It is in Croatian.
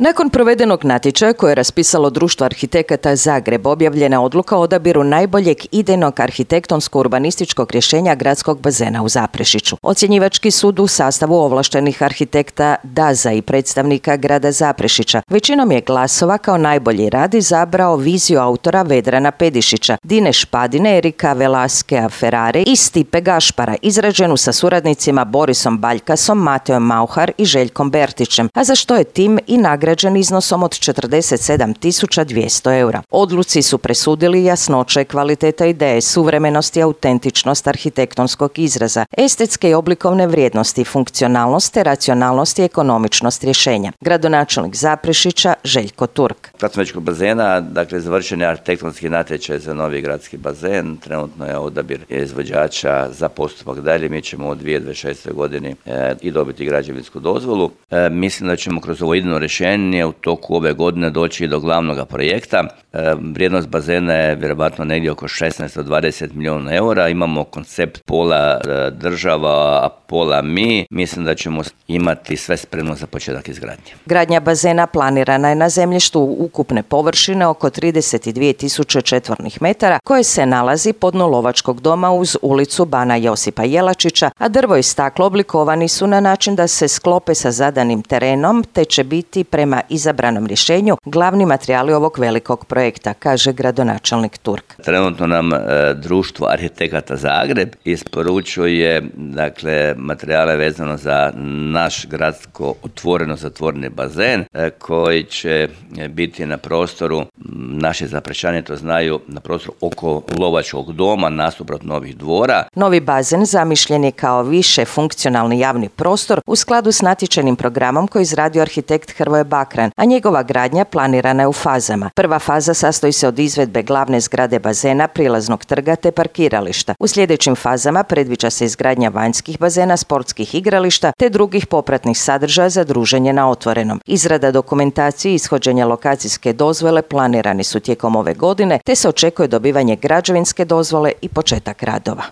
Nakon provedenog natječaja koje je raspisalo Društvo arhitekata Zagreb, objavljena je odluka o odabiru najboljeg idejnog arhitektonsko-urbanističkog rješenja gradskog bazena u Zaprešiću. Ocjenjivački sud u sastavu ovlaštenih arhitekta DAZA i predstavnika grada Zaprešića većinom je glasova kao najbolji rad izabrao viziju autora Vedrana Pedišića, Dine Špadine, Erika Velaskea Ferrare i Stipe Gašpara, izrađenu sa suradnicima Borisom Baljkasom, Mateom Mauhar i Željkom Bertićem, a za što je tim i nagrađen iznosom od 47.200 eura. Odluci su presudili jasnoće, kvaliteta ideje, suvremenost i autentičnost arhitektonskog izraza, estetske i oblikovne vrijednosti, funkcionalnost te racionalnost i ekonomičnost rješenja. Gradonačelnik Zaprešića Željko Turk. Gradskog bazena, dakle, završen je arhitektonski natječaj za novi gradski bazen. Trenutno je odabir izvođača za postupak dalje. Mi ćemo u 2026. godini i dobiti građevinsku dozvolu. Mislim da ćemo kroz ovo idejno rješenje u toku ove godine doći do glavnog projekta. Vrijednost bazena je vjerovatno negdje oko 16 do 20 milijuna eura. Imamo koncept pola država, a pola mi. Mislim da ćemo imati sve spremno za početak izgradnje. Gradnja bazena planirana je na zemljištu ukupne površine oko 32.000 četvornih metara koje se nalazi pod dnu Lovačkog doma uz ulicu Bana Josipa Jelačića, a drvo i staklo oblikovani su na način da se sklope sa zadanim terenom te će biti prema izabranom rješenju glavni materijali ovog velikog projekta, kaže gradonačelnik Turk. Trenutno nam Društvo arhitekata Zagreb isporučuje materijale vezano za naš gradsko otvoreno zatvoreni bazen koji će biti na prostoru, naši Zaprešićani to znaju, na prostoru oko Lovačkog doma nasuprot Novih dvora. Novi bazen zamišljen je kao više funkcionalni javni prostor u skladu s natječajnim programom koji izradio arhitekt Hrvoje Bakran, a njegova gradnja planirana je u fazama. Prva faza sastoji se od izvedbe glavne zgrade bazena, prilaznog trga te parkirališta. U sljedećim fazama predviđa se izgradnja vanjskih bazena, sportskih igrališta te drugih popratnih sadržaja za druženje na otvorenom. Izrada dokumentacije i ishođenja lokacijske dozvole planirani su tijekom ove godine te se očekuje dobivanje građevinske dozvole i početak radova.